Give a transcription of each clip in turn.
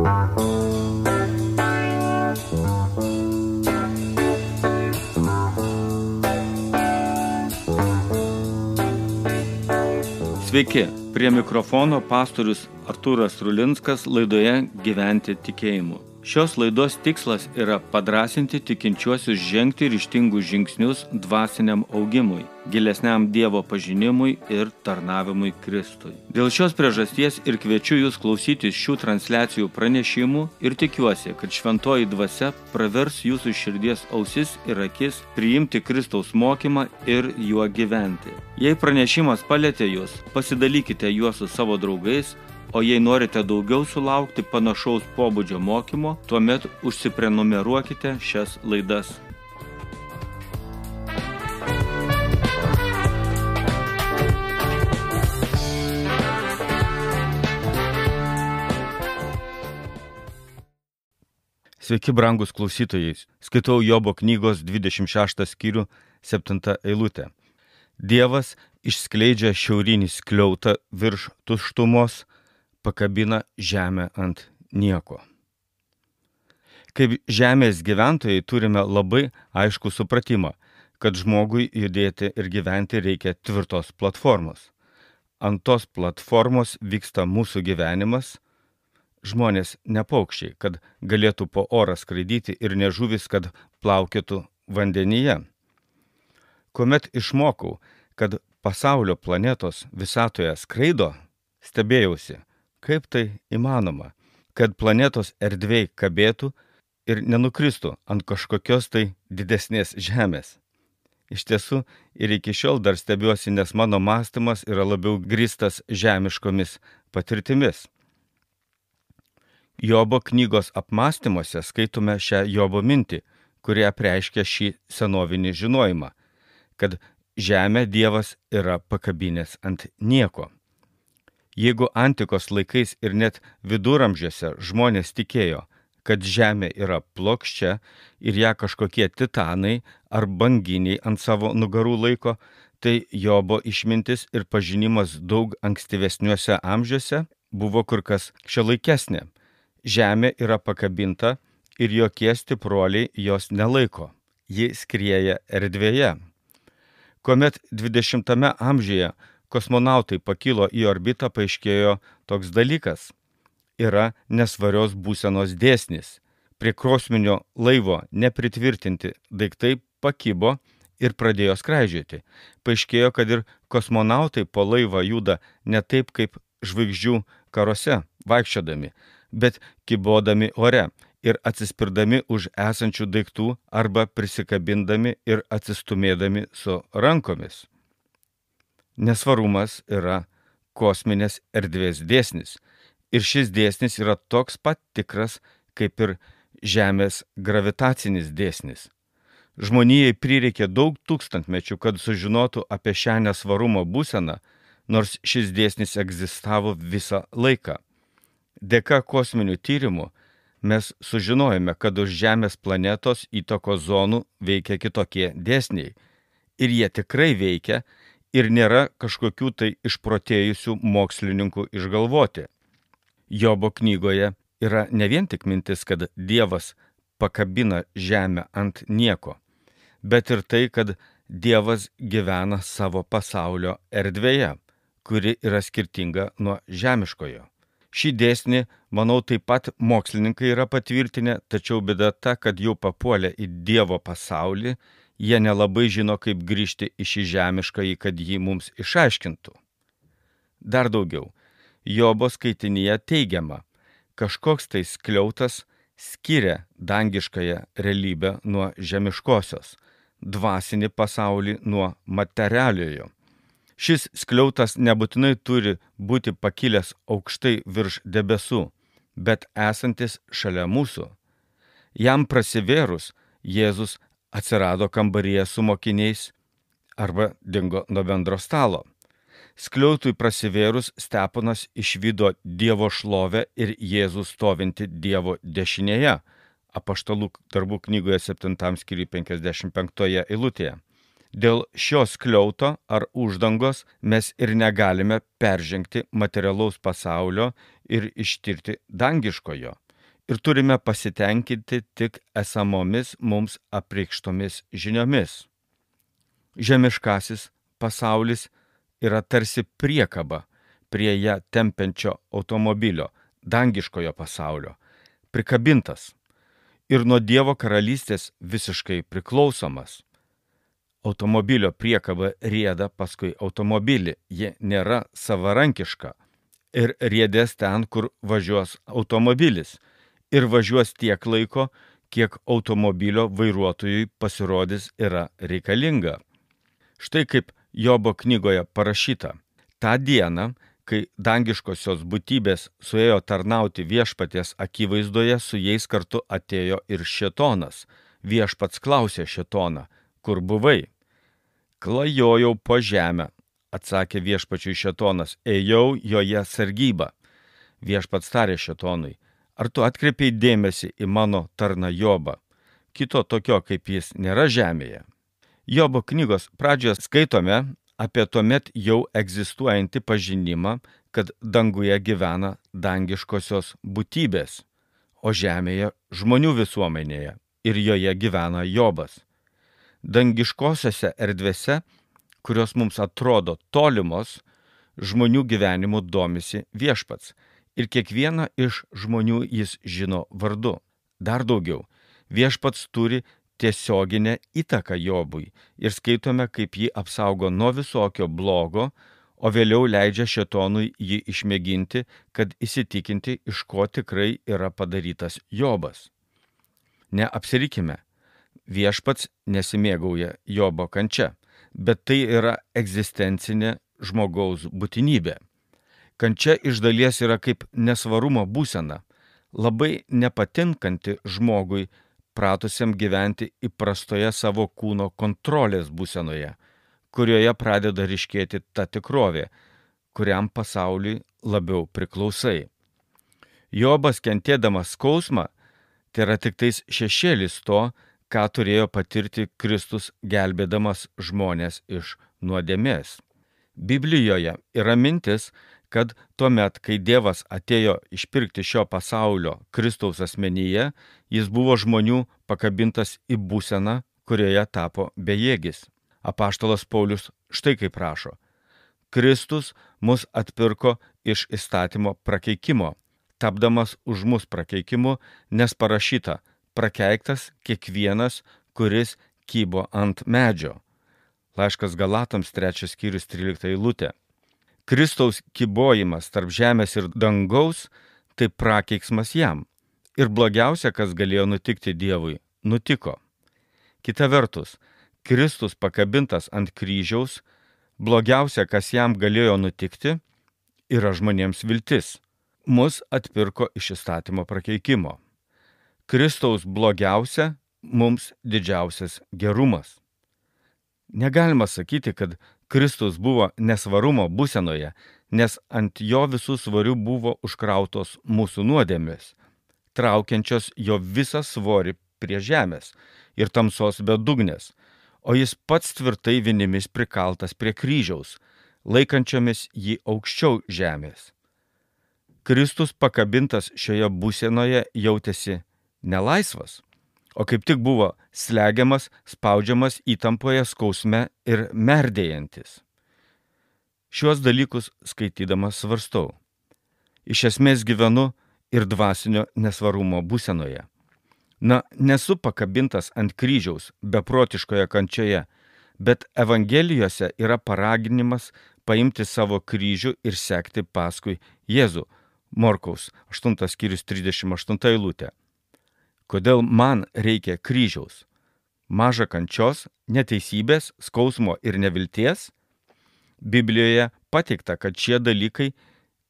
Sveiki, prie mikrofono pastorius Artūras Rulinskas laidoje Gyventi tikėjimu. Šios laidos tikslas yra padrąsinti tikinčiuosius žengti ryžtingus žingsnius dvasiniam augimui, gilesniam Dievo pažinimui ir tarnavimui Kristui. Dėl šios priežasties ir kviečiu jūs klausytis šių transliacijų pranešimų ir tikiuosi, kad šventoji dvasia pravers jūsų širdies ausis ir akis priimti Kristaus mokymą ir juo gyventi. Jei pranešimas palietė jūs, pasidalykite juos su savo draugais, o jei norite daugiau sulaukti panašaus pobūdžio mokymo, tuomet užsiprenumeruokite šias laidas. Sveiki, brangus klausytojai. Skaitau Jobo knygos 26 skyrių 7 eilutę. Dievas išskleidžia šiaurinį skliautą virš tuštumos, pakabina žemę ant nieko. Kaip žemės gyventojai turime labai aiškų supratimą, kad žmogui judėti ir gyventi reikia tvirtos platformos. Ant tos platformos vyksta mūsų gyvenimas. Žmonės ne paukščiai, kad galėtų po orą skraidyti, ir ne žuvis, kad plaukėtų vandenyje. Kuomet išmokau, kad pasaulio planetos visatoje skraido, stebėjausi, kaip tai įmanoma, kad planetos erdvėj kabėtų ir nenukristų ant kažkokios tai didesnės žemės. Iš tiesų, ir iki šiol dar stebiuosi, nes mano mąstymas yra labiau grįstas žemiškomis patirtimis. Jobo knygos apmąstymuose skaitome šią Jobo mintį, kuri apreiškia šį senovinį žinojimą, kad žemę Dievas yra pakabinęs ant nieko. Jeigu antikos laikais ir net viduramžiuose žmonės tikėjo, kad žemė yra plokščia ir ją kažkokie titanai ar banginiai ant savo nugarų laiko, tai Jobo išmintis ir pažinimas daug ankstyvesniuose amžiuose buvo kur kas šiuolaikesnė. Žemė yra pakabinta ir jokie stipruoliai jos nelaiko. Ji skrieja erdvėje. Kuomet 20 amžiuje kosmonautai pakilo į orbitą, paaiškėjo toks dalykas. Yra nesvarios būsenos dėsnis. Prie kosminio laivo nepritvirtinti daiktai pakibo ir pradėjo skraidžioti. Paaiškėjo, kad ir kosmonautai po laivą juda ne taip kaip žvaigždžių karuose vaikščiodami, bet kybodami ore ir atsispirdami už esančių daiktų arba prisikabindami ir atsistumėdami su rankomis. Nesvarumas yra kosminės erdvės dėsnis, ir šis dėsnis yra toks pat tikras kaip ir Žemės gravitacinis dėsnis. Žmonijai prireikė daug tūkstantmečių, kad sužinotų apie šią nesvarumo būseną, nors šis dėsnis egzistavo visą laiką. Dėka kosminių tyrimų mes sužinojome, kad už Žemės planetos įtakos zonų veikia kitokie dėsniai, ir jie tikrai veikia, ir nėra kažkokių tai išprotėjusių mokslininkų išgalvoti. Jobo knygoje yra ne vien tik mintis, kad Dievas pakabina žemę ant nieko, bet ir tai, kad Dievas gyvena savo pasaulio erdvėje, kuri yra skirtinga nuo žemiškojo. Šį dėsnį, manau, taip pat mokslininkai yra patvirtinę, tačiau bėda ta, kad jau papuolę į Dievo pasaulį, jie nelabai žino, kaip grįžti į šį žemiškąjį, kad jį mums išaiškintų. Dar daugiau, Jobo skaitinyje teigiama, kažkoks tai skliautas skiria dangiškąją realybę nuo žemiškosios, dvasinį pasaulį nuo materialiojo. Šis skliautas nebūtinai turi būti pakilęs aukštai virš debesų, bet esantis šalia mūsų. Jam prasivėrus, Jėzus atsirado kambaryje su mokiniais arba dingo nuo bendro stalo. Skliautui prasivėrus Steponas išvydo Dievo šlovę ir Jėzų stovinti Dievo dešinėje, Apaštalų darbų knygoje 7 skyriuje 55 eilutėje. Dėl šio skliauto ar uždangos mes ir negalime peržengti materialaus pasaulio ir ištirti dangiškojo. ir turime pasitenkinti tik esamomis mums apreikštomis žiniomis. Žemiškasis pasaulis yra tarsi priekaba prie ją tempiančio automobilio, dangiškojo pasaulio, prikabintas ir nuo Dievo karalystės visiškai priklausomas. Automobilio priekaba rieda paskui automobilį, ji nėra savarankiška ir riedės ten, kur važiuos automobilis, ir važiuos tiek laiko, kiek automobilio vairuotojui pasirodys yra reikalinga. Štai kaip Jobo knygoje parašyta: tą dieną, kai dangiškosios būtybės suėjo tarnauti viešpaties akivaizdoje, su jais kartu atėjo ir šėtonas. Viešpats klausė šėtoną: kur buvai? Klajojau po žemę, atsakė viešpačiui šėtonas, ėjau joje sargybą. Viešpats tarė šėtonui: ar tu atkreipiai dėmesį į mano tarną Jobą? Kito tokio kaip jis nėra žemėje. Jobo knygos pradžioje skaitome apie tuomet jau egzistuojantį pažinimą, kad danguje gyvena dangiškosios būtybės, o žemėje žmonių visuomenėje, ir joje gyvena Jobas. Dangiškosiose erdvėse, kurios mums atrodo tolimos, žmonių gyvenimu domisi viešpats, ir kiekvieną iš žmonių jis žino vardu. Dar daugiau, viešpats turi tiesioginę įtaką Jobui ir skaitome, kaip jį apsaugo nuo visokio blogo, o vėliau leidžia šėtonui jį išmėginti, kad įsitikinti, iš ko tikrai yra padarytas Jobas. Neapsirikime, viešpats nesimėgauja Jobo kančia, bet tai yra egzistencinė žmogaus būtinybė. Kančia iš dalies yra kaip nesvarumo būsena, labai nepatinkanti žmogui, pratusiam gyventi įprastoje savo kūno kontrolės būsenoje, kurioje pradeda ryškėti ta tikrovė, kuriam pasauliui labiau priklausai. Jobas, kentėdamas skausmą, tai yra tik tais šešėlis to, ką turėjo patirti Kristus, gelbėdamas žmonės iš nuodėmės. Biblijoje yra mintis, kad tuomet, kai Dievas atėjo išpirkti šio pasaulio Kristaus asmenyje, jis buvo žmonių pakabintas į būseną, kurioje tapo bejėgis. Apaštalas Paulius štai kaip rašo: Kristus mus atpirko iš įstatymo prakeikimo, tapdamas už mus prakeikimu, nes parašyta: prakeiktas kiekvienas, kuris kybo ant medžio. Laiškas Galatams 3 skyrius 13 eilutė. Kristaus kybojimas tarp žemės ir dangaus – tai prakeiksmas jam. Ir blogiausia, kas galėjo nutikti Dievui, nutiko. Kita vertus, Kristus pakabintas ant kryžiaus, blogiausia, kas jam galėjo nutikti, yra žmonėms viltis. Mus atpirko iš įstatymo prakeikimo. Kristaus blogiausia, mums didžiausias gerumas. Negalima sakyti, kad Kristus buvo nesvarumo būsenoje, nes ant jo visų svarių buvo užkrautos mūsų nuodėmės, traukiančios jo visą svorį prie žemės ir tamsos bedugnės, o jis pats tvirtai vinimis prikaltas prie kryžiaus, laikančiomis jį aukščiau žemės. Kristus pakabintas šioje būsenoje jautėsi nelaisvas, o kaip tik buvo slegiamas, spaudžiamas įtampoje, skausme ir merdėjantis. Šiuos dalykus skaitydamas svarstau. Iš esmės gyvenu ir dvasinio nesvarumo būsenoje. Nesu pakabintas ant kryžiaus beprotiškoje kančioje, bet Evangelijose yra paraginimas paimti savo kryžių ir sekti paskui Jėzų. Morkaus 8 skyrius 38 eilutė. Kodėl man reikia kryžiaus? Maža kančios, neteisybės, skausmo ir nevilties? Biblijoje pateikta, kad šie dalykai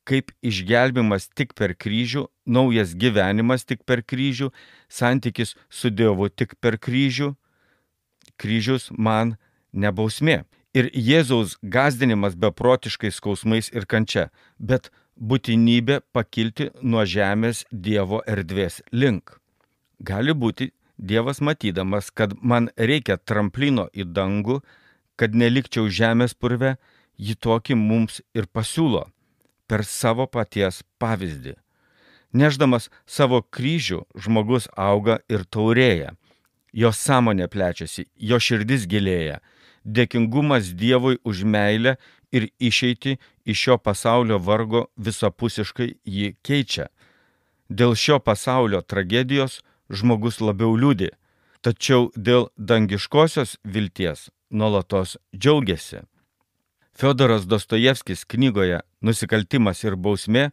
kaip išgelbimas tik per kryžių, naujas gyvenimas tik per kryžių, santykis su Dievu tik per kryžių. Kryžius man ne bausmė. Ir Jėzaus gąsdinimas beprotiškais skausmais ir kančia, bet būtinybė pakilti nuo žemės Dievo erdvės link. Gali būti, Dievas matydamas, kad man reikia tramplino į dangų, kad nelikčiau žemės purve, jį tokį mums ir pasiūlo per savo paties pavyzdį. Nešdamas savo kryžių žmogus auga ir taurėja. Jo sąmonė plečiasi, jo širdis gilėja. Dėkingumas Dievui už meilę ir išeitį iš šio pasaulio vargo visapusiškai jį keičia. Dėl šio pasaulio tragedijos žmogus labiau liūdi, tačiau dėl dangiškosios vilties nuolatos džiaugiasi. Fiodoras Dostojevskis knygoje Nusikaltimas ir bausmė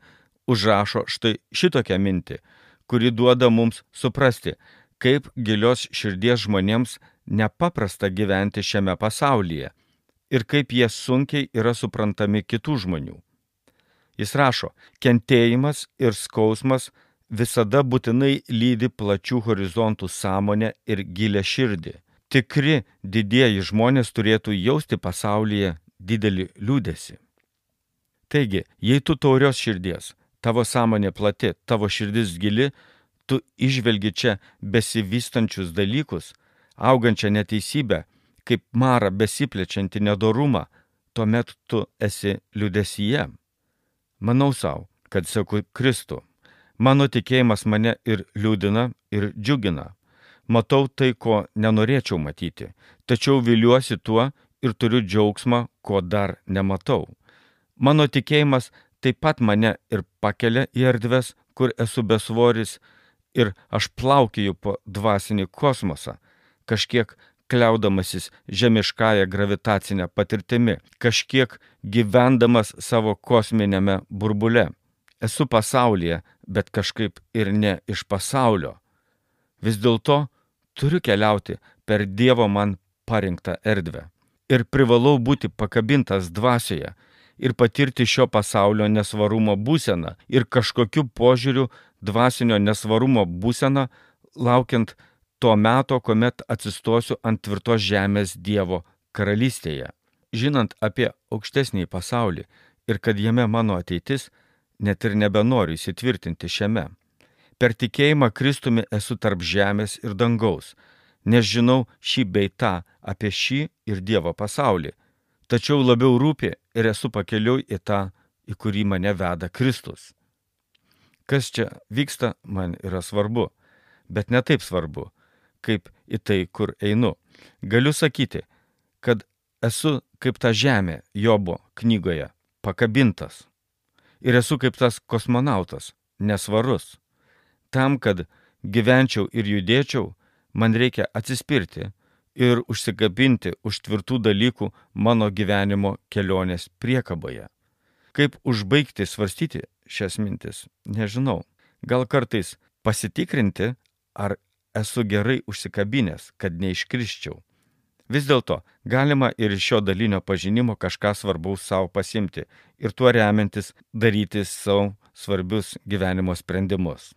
užrašo štai šitokią mintį, kuri duoda mums suprasti, kaip gilios širdies žmonėms nepaprasta gyventi šiame pasaulyje ir kaip jie sunkiai yra suprantami kitų žmonių. Jis rašo, kentėjimas ir skausmas visada būtinai lydi plačių horizontų sąmonę ir gilę širdį. Tikri didieji žmonės turėtų jausti pasaulyje didelį liūdesį. Taigi, jei tu taurios širdies, tavo sąmonė plati, tavo širdis gili, tu išvelgi čia besivystančius dalykus, augančią neteisybę, kaip marą besiplečiantį nedorumą, tuomet tu esi liūdesyje. Manau savo, kad seku Kristų. Mano tikėjimas mane ir liūdina, ir džiugina. Matau tai, ko nenorėčiau matyti, tačiau viliuosi tuo ir turiu džiaugsmą, ko dar nematau. Mano tikėjimas taip pat mane ir pakelia į erdves, kur esu besvoris, ir aš plaukioju po dvasinį kosmosą, kažkiek kliaudamasis žemiškąją gravitacinę patirtimi, kažkiek gyvendamas savo kosminėme burbule. Esu pasaulyje, bet kažkaip ir ne iš pasaulio. Vis dėlto turiu keliauti per Dievo man parinktą erdvę. Ir privalau būti pakabintas dvasioje ir patirti šio pasaulio nesvarumo būseną ir kažkokiu požiūriu dvasinio nesvarumo būseną, laukiant to meto, kuomet atsistosiu ant tvirtos žemės Dievo karalystėje. Žinant apie aukštesnį pasaulį ir kad jame mano ateitis, net ir nebenoriu įsitvirtinti šiame. Per tikėjimą Kristumi esu tarp žemės ir dangaus, nes žinau šį bei tą apie šį ir Dievo pasaulį, tačiau labiau rūpi ir esu pakeliui į tą, į kurį mane veda Kristus. Kas čia vyksta, man yra svarbu, bet ne taip svarbu, kaip į tai, kur einu. Galiu sakyti, kad esu kaip ta žemė Jobo knygoje, pakabintas. Ir esu kaip tas kosmonautas, nesvarus. Tam, kad gyvenčiau ir judėčiau, man reikia atsispirti ir užsikabinti už tvirtų dalykų mano gyvenimo kelionės priekaboje. Kaip užbaigti svarstyti šias mintis, nežinau. Gal kartais pasitikrinti, ar esu gerai užsikabinęs, kad neiškrisčiau. Vis dėlto galima ir iš šio dalinio pažinimo kažką svarbaus savo pasimti ir tuo remiantis daryti savo svarbius gyvenimo sprendimus.